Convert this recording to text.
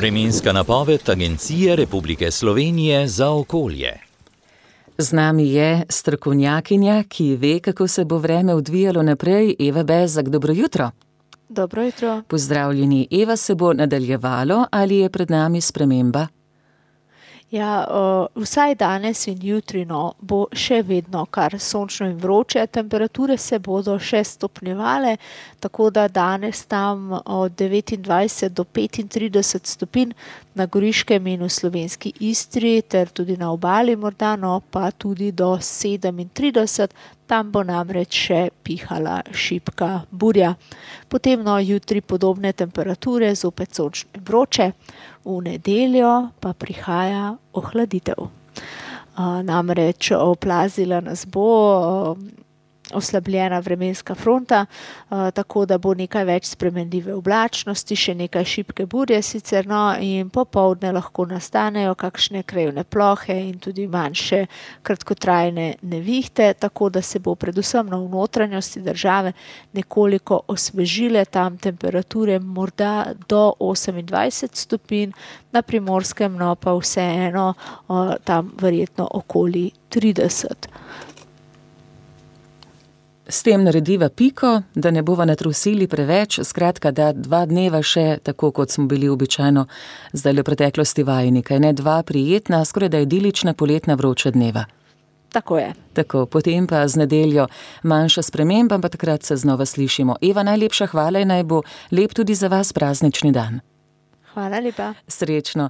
Vremenska napoved Agencije Republike Slovenije za okolje. Z nami je strokovnjakinja, ki ve, kako se bo vreme odvijalo naprej, Eva Bezjak. Dobro jutro. Dobro jutro. Pozdravljeni. Eva, se bo nadaljevalo ali je pred nami sprememba? Ja, vsaj danes in jutri bo še vedno kar sončno in vroče, temperature se bodo še stopnjevale, tako da danes tam od 29 do 35 stopinj na Goriškem in v slovenski Istri ter tudi na obali morda, pa tudi do 37, tam bo namreč še pihala šibka burja. Potem jutri podobne temperature, zopet sončno in vroče, v nedeljo pa prihaja ohladitev. Namreč oplazila nas bo oslabljena vremenska fronta, tako da bo nekaj več spremenljive oblačnosti, še nekaj šibke burje sicer, in popoldne lahko nastanejo kakšne krajevne plohe in tudi manjše kratkotrajne nevihte, tako da se bo predvsem v notranjosti države nekoliko osvežile, tam temperature morda do 28 stopinj, na Primorskem pa vseeno tam verjetno okoli 30. S tem narediva piko, da ne bova natrusili preveč, skratka, da 2 dneva še, tako kot smo bili običajno zdaj v preteklosti vajeni, kajne, 2 prijetna, skoraj da idilična poletna vroča dneva. Tako je. Tako, potem pa z nedeljo manjša sprememba, pa takrat se znova slišimo. Eva, najlepša hvala in naj bo lep tudi za vas praznični dan. Hvala lepa. Srečno.